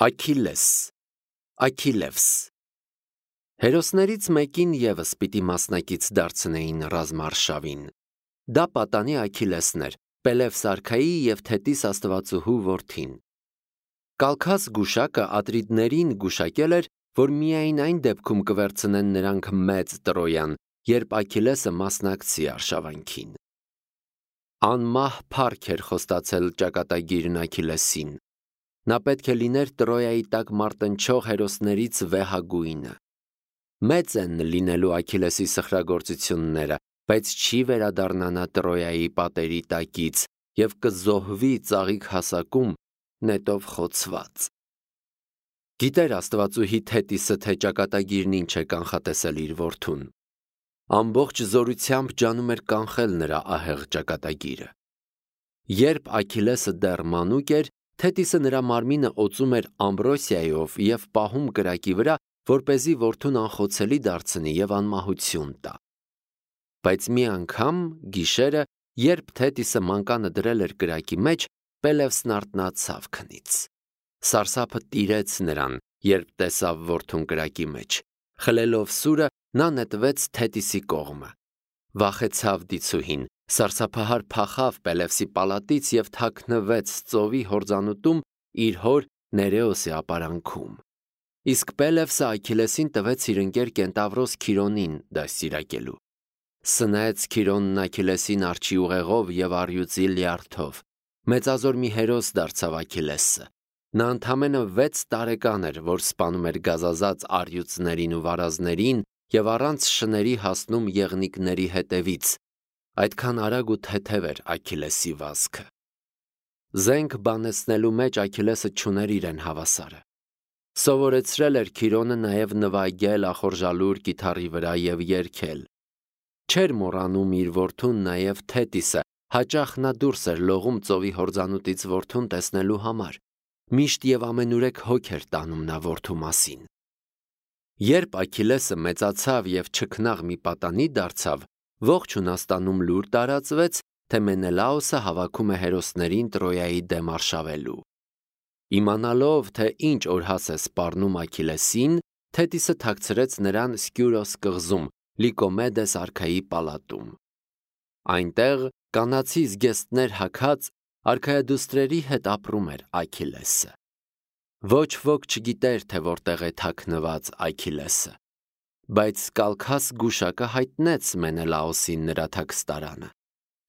Աքիլես, Աքիլևս։ Հերոսներից մեկին ևս պիտի մասնակից դարձնեին ռազմարշավին։ Դա պատանի Աքիլեսն էր, Պելևս արքայի և Թետիս աստվածուհու որդին։ Կալքաս գուշակը Ատրիդներին գուշակել էր, որ միայն այն դեպքում կվերցնեն նրանք մեծ Տրոյան, երբ Աքիլեսը մասնակցի արշավանքին։ Անմահ փառք էր խոստացել ճակատագիրն Աքիլեսին։ Նա պետք է լիներ Տրոյայի տակ մարտնչող հերոսներից վեհագույնը։ Մեծ են լինելու Աքիլեսի սխրագործությունները, բայց չի վերադառնա նա Տրոյայի պատերի տակից և կզոհվի ծաղիկ հասակում, նետով խոցված։ Գիտեր աստվածուհի Թետիսը, թե ճակատագիրն ինչ է կանխատեսել իր որդուն։ Ամբողջ զորությամբ ջանում էր կանխել նրա ահեղ ճակատագիրը։ Երբ Աքիլեսը դեռ մանուկ էր, Թետիսը նրա մարմինը օծում էր ամբրոսիայով և պահում կրակի վրա, որպեսզի որդուն անխոցելի դարձնի և անմահություն տա։ Բայց մի անգամ գիշերը, երբ Թետիսը մանկանը դրել էր կրակի մեջ, Պելևսն արթնացավ քնից։ Սարսափը տիրեց նրան, երբ տեսավ որդուն կրակի մեջ։ Խլելով սուրը, նա նետվեց Թետիսի կողմը։ Վախեցավ դիցուհին, սարսափահար փախավ Պելևսի պալատից և թաքնվեց ծովի հորձանուտում իր հոր Ներեոսի ապարանքում։ Իսկ Պելևսը Աքիլեսին տվեց իր ընկեր կենտավրոս Քիրոնին դաստիարակելու։ Սնեց Քիրոնն Աքիլեսին արջի ուղեղով և առյուծի լյարդով։ Մեծազոր մի հերոս դարձավ Աքիլեսը։ Նա ընդամենը 6 տարեկան էր, որ սպանում էր գազազած առյուծներին ու վարազներին և առանց շների հասնում եղնիկների հետևից։ Այդքան արագ ու թեթև էր Աքիլեսի վազքը։ Զենք բանեցնելու մեջ Աքիլեսը չուներ իրեն հավասարը։ Սովորեցրել էր Քիրոնը նաև նվագել ախորժալուր կիթառի վրա և երգել։ Չէր մոռանում իր որդուն նաև Թետիսը, հաճախ նա դուրս էր լողում ծովի հորձանուտից որդուն տեսնելու համար։ Միշտ և ամենուրեք հոգ էր տանում նա որդու մասին։ Երբ Աքիլեսը մեծացավ և չքնաղ մի պատանի դարձավ, ողջ Հունաստանում լուր տարածվեց, թե Մենելաոսը հավաքում է հերոսներին Տրոյայի դեմ արշավելու։ Իմանալով, թե ինչ օրհաս է սպառնում Աքիլեսին, Թետիսը թաքցրեց նրան Սկյուրոս կղզում, Լիկոմեդես արքայի պալատում։ Այնտեղ կանացի զգեստներ հագած արքայադուստրերի հետ ապրում էր Աքիլեսը։ Ոչ ոք չգիտեր, թե որտեղ է թաքնված Աքիլեսը։ Բայց Կալքաս գուշակը հայտնեց Մենելաոսին նրա թաքստարանը։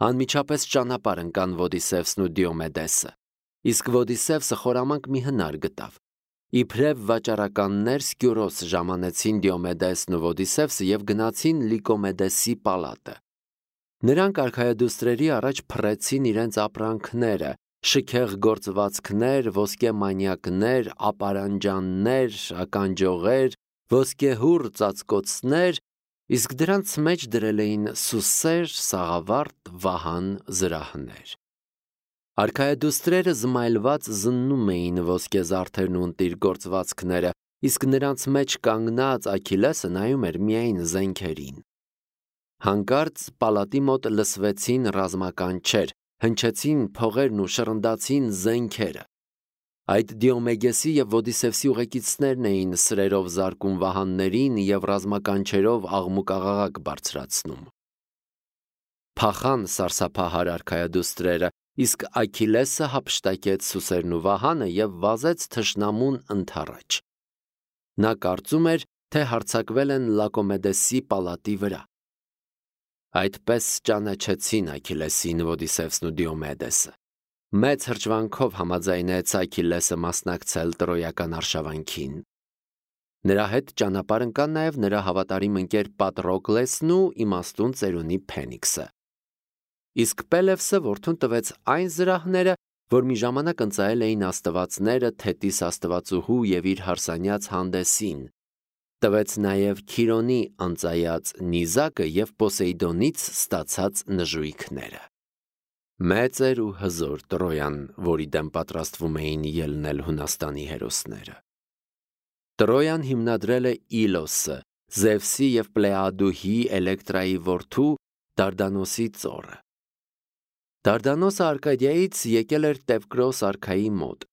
Անմիջապես ճանապարհ ընկան Ոդիսևսն ու Դիոմեդեսը։ Իսկ Ոդիսևսը խորամանկ մի հնար գտավ։ Իբրև վաճառականներ Սկյուրոս ժամանեցին Դիոմեդեսն ու Ոդիսևսը և գնացին Լիկոմեդեսի պալատը։ Նրանք արքայադուստրերի առաջ փռեցին իրենց ապրանքները՝ շքեղ գործվածքներ, ոսկե մանյակներ, ապարանջաններ, ականջողեր, ոսկեհուռ ծածկոցներ, իսկ դրանց մեջ դրել էին սուսեր, սաղավարտ, վահան, զրահներ։ Արքայադուստրերը զմայլված զննում էին ոսկեզարդերն ու ընտիր գործվածքները, իսկ նրանց մեջ կանգնած Աքիլեսը նայում էր միայն զենքերին։ Հանկարծ պալատի մոտ լսվեցին ռազմականչեր, հնչեցին փողերն ու շռնդացին զենքերը։ Այդ Դիոմեդեսի և Ոդիսևսի ուղեկիցներն էին սրերով զարկում վահաններին և ռազմականչերով աղմուկաղաղակ բարձրացնում։ Փախան սարսափահար արքայադուստրերը, իսկ Աքիլեսը հափշտակեց սուսերն ու վահանը և վազեց թշնամուն ընդառաջ։ Նա կարծում էր, թե հարձակվել են Լակոմեդեսի պալատի վրա։ Այդպես ճանաչեցին Աքիլեսին Ոդիսևսն ու Դիոմեդեսը։ Մեծ հրճվանքով համաձայնեց Աքիլեսը մասնակցել տրոյական արշավանքին։ Նրա հետ ճանապարհ ընկան նաև նրա հավատարիմ ընկեր Պատրոկլեսն ու իմաստուն ծերունի Փենիքսը։ Իսկ Պելևսը որդուն տվեց այն զրահները, որ մի ժամանակ ընծայել էին աստվածները Թետիս աստվածուհու և իր հարսանյաց Հանդեսին։ Տվեց նաև Քիրոնի անծայած նիզակը և Պոսեյդոնից ստացած նժույգները։ Մեծ էր ու հզոր Տրոյան, որի դեմ պատրաստվում էին ելնել Հունաստանի հերոսները։ Տրոյան հիմնադրել է Իլոսը, Զևսի և Պլեադուհի Էլեկտրայի որդու Դարդանոսի ծոռը։ Դարդանոսը Արկադիայից եկել էր Տևկրոս արքայի մոտ։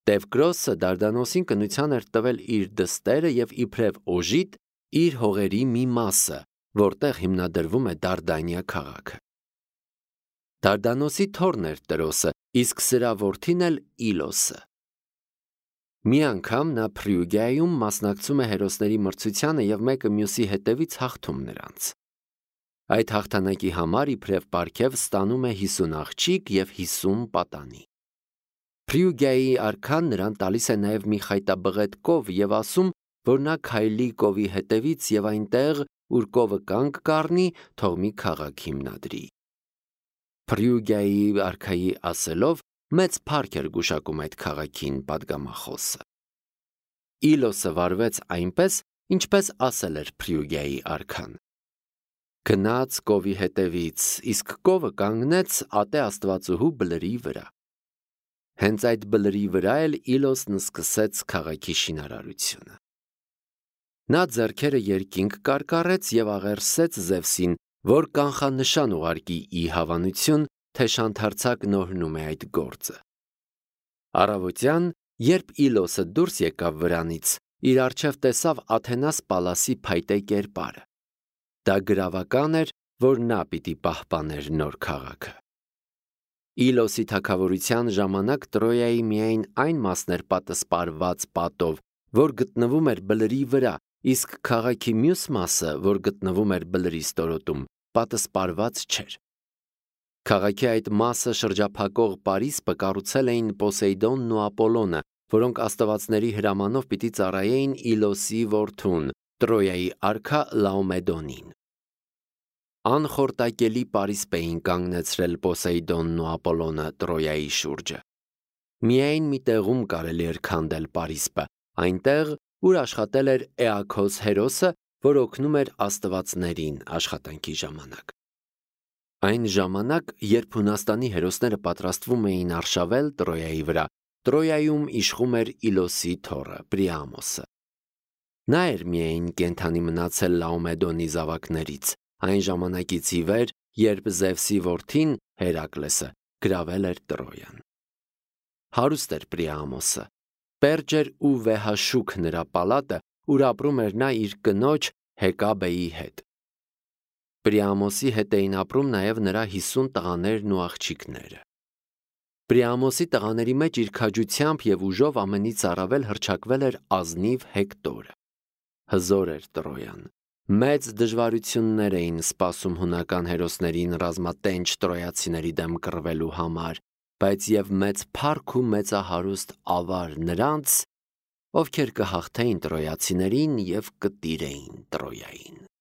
Տևկրոսը Դարդանոսին կնության էր տվել իր դստերը և իբրև օժիտ իր հողերի մի մասը, որտեղ հիմնադրվում է Դարդանիա քաղաքը։ Դարդանոսի թոռն էր Տրոսը, իսկ սրա որդին էլ Իլոսը։ Մի անգամ նա Փրիուգիայում մասնակցում է հերոսների մրցությանը և մեկը մյուսի հետևից հաղթում նրանց։ Այդ հաղթանակի համար իբրև պարգև ստանում է 50 աղջիկ և 50 պատանի։ Փրիուգիայի արքան նրան տալիս է նաև մի խայտաբղետ կով և ասում, որ նա քայլի կովի հետևից և այնտեղ, ուր կովը կանգ կառնի, թող մի քաղաք հիմնադրի։ Փրիուգիայի արքայի ասելով, մեծ փառք էր գուշակում այդ քաղաքին պատգամախոսը։ Իլոսը վարվեց այնպես, ինչպես ասել էր Փրիուգիայի արքան։ Գնաց կովի հետևից, իսկ կովը կանգնեց ատե աստվածուհու բլրի վրա։ Հենց այդ բլրի վրա էլ Իլոսն սկսեց քաղաքի շինարարությունը։ Նա ձեռքերը երկինք կարկառեց և աղերսեց Զևսին, որ կանխանշան ուղարկի ի հավանություն, թե շանթարցակն օրհնում է այդ գործը։ Առավոտյան, երբ Իլոսը դուրս եկավ վրանից, իր առջև տեսավ Աթենաս Պալասի փայտե կերպարը։ Դա գրավական էր, որ նա պիտի պահպաներ նոր քաղաքը։ Իլոսի թագավորության ժամանակ Տրոյայի միայն այն մասն էր պատսպարված պատով, որ գտնվում էր բլրի վրա, իսկ քաղաքի մյուս մասը, որ գտնվում էր բլրի ստորոտում, պատսպարված չէր։ Քաղաքի այդ մասը շրջափակող պարիսպը կառուցել էին Պոսեյդոնն ու Ապոլոնը, որոնք աստվածների հրամանով պիտի ծառայեին Իլոսի որդուն, Տրոյայի արքա Լաոմեդոնին։ Անխորտակելի պարիսպ էին կանգնեցրել Պոսեյդոնն ու Ապոլոնը Տրոյայի շուրջը։ Միայն մի տեղում կարելի էր քանդել պարիսպը, այնտեղ, ուր աշխատել էր Էաքոս հերոսը, որ օգնում էր աստվածներին աշխատանքի ժամանակ։ Այն ժամանակ, երբ Հունաստանի հերոսները պատրաստվում էին արշավել Տրոյայի վրա, Տրոյայում իշխում էր Իլոսի թոռը Պրիամոսը։ Նա էր միայն կենդանի մնացել Լաոմեդոնի զավակներից, այն ժամանակից ի վեր, երբ Զևսի որդին Հերակլեսը գրավել էր Տրոյան։ Հարուստ էր Պրիամոսը, պերճ էր ու վեհաշուք նրա պալատը, ուր ապրում էր նա իր կնոջ Հեկաբեի հետ։ Պրիամոսի հետ էին ապրում նաև նրա 50 տղաներն ու աղջիկները։ Պրիամոսի տղաների մեջ իր քաջությամբ և ուժով ամենից առավել հռչակվել էր ազնիվ Հեկտորը։ Հզոր էր Տրոյան։ Մեծ դժվարություններ էին սպասում հունական հերոսներին ռազմատենչ տրոյացիների դեմ կռվելու համար, բայց և մեծ փառք ու մեծահարուստ ավար նրանց, ովքեր կհաղթեին տրոյացիներին և կտիրեին Տրոյային։